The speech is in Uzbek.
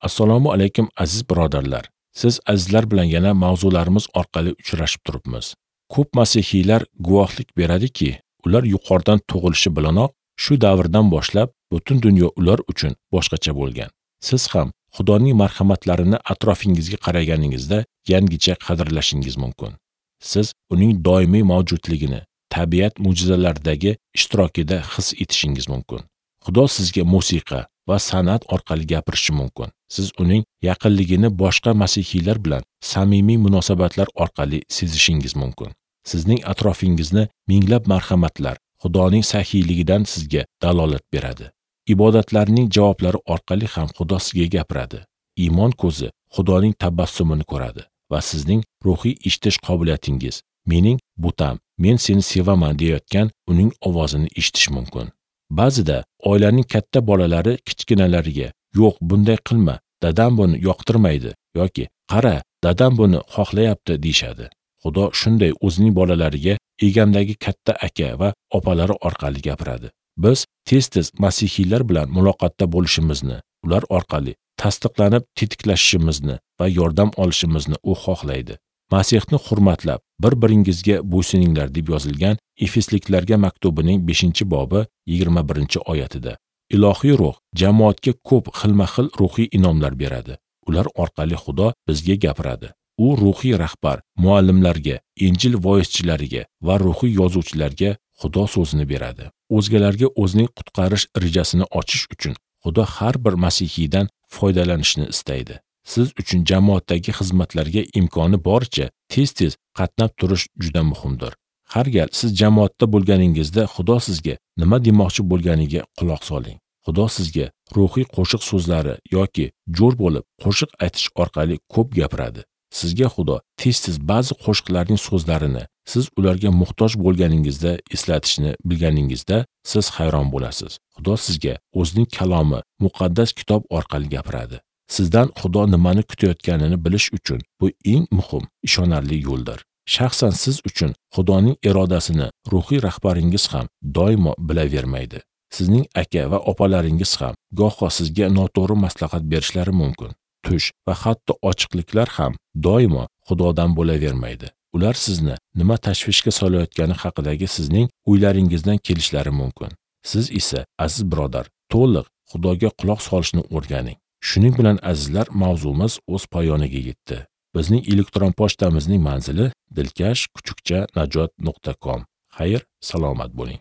Assalomu alaykum aziz birodarlar. Siz azizlar bilan yana mavzularimiz orqali uchrashib turibmiz. Ko'p masihiylar guvohlik beradiki, ular yuqoridan tug'ilishi bilanoq shu davrdan boshlab butun dunyo ular uchun boshqacha bo'lgan. Siz ham Xudoning marhamatlarini atrofingizga qaraganingizda yangicha qadrlashingiz mumkin. Siz uning doimiy mavjudligini tabiat mo'jizalaridagi ishtirokida his etishingiz mumkin. Xudo sizga musiqa va san'at orqali gapirishi mumkin. Siz uning yaqinligini boshqa masihiylar bilan samimiy munosabatlar orqali sezishingiz mumkin. Sizning atrofingizni minglab marhamatlar Xudoning saxiyligidan sizga dalolat beradi. Ibodatlarning javoblari orqali ham Xudo sizga gapiradi. Iymon ko'zi Xudoning tabassumini ko'radi va sizning ruhiy eshitish qobiliyatingiz mening butam, men seni sevaman deyotgan uning ovozini eshitish mumkin. Ba'zida oilaning katta bolalari kichkinalariga "Yo'q, bunday qilma, dadam buni yoqtirmaydi" yoki "Qara, dadam buni xohlayapti" deyshadi. Xudo shunday o'zining bolalariga egamdagi katta aka va opalari orqali gapiradi. Biz tez-tez masihiylar bilan muloqotda bo'lishimizni, ular orqali tasdiqlanib tetiklashishimizni va yordam olishimizni u xohlaydi. Masihni hurmatlab, bir-biringizga bo'ysuninglar deb yozilgan Efesliklarga maktubining 5-bobi 21-oyatida. Ilohiy ruh jamoatga ko'p xilma-xil ruhiy inomlar beradi. Ular orqali Xudo bizga gapiradi. U ruhiy rahbar, muallimlarga, Injil voizchilariga va ruhiy yozuvchilarga Xudo so'zini beradi. O'zgalarga o'zining qutqarish rejasini ochish uchun Xudo har bir masihiydan foydalanishni istaydi. Siz uchun jamoatdagi xizmatlarga imkoni boricha tez-tez qatnab turish juda muhimdir. Har gal siz jamoatda bo'lganingizda Xudo sizga nima demoqchi bo'lganiga quloq soling. Xudo sizga ruhiy qo'shiq so'zlari yoki jo'r bo'lib qo'shiq aytish orqali ko'p gapiradi. Sizga Xudo tez-tez ba'zi qo'shiqlarning so'zlarini siz ularga muhtoj bo'lganingizda eslatishni bilganingizda siz hayron bo'lasiz. Xudo sizga o'zining kalomi, muqaddas kitob orqali gapiradi. Sizdan Xudo nimani kutayotganini bilish uchun bu eng muhim, ishonarli yo'ldir. Shaxsan siz uchun Xudoning irodasini ruhiy rahbaringiz ham doimo bilavermaydi. Sizning aka va opalaringiz ham goho sizga noto'g'ri maslahat berishlari mumkin. Tush va hatto ochiqliklar ham doimo Xudodan bo'lavermaydi. Ular sizni nima tashvishga solayotgani haqidagi sizning o'ylaringizdan kelishlari mumkin. Siz esa, aziz birodar, to'liq Xudoga quloq solishni o'rganing. Shuning bilan azizlar, mavzumiz o'z poyoniga yetdi. Bizning elektron pochtamizning manzili dilkash@najot.com. Xayr, salomat bo'ling.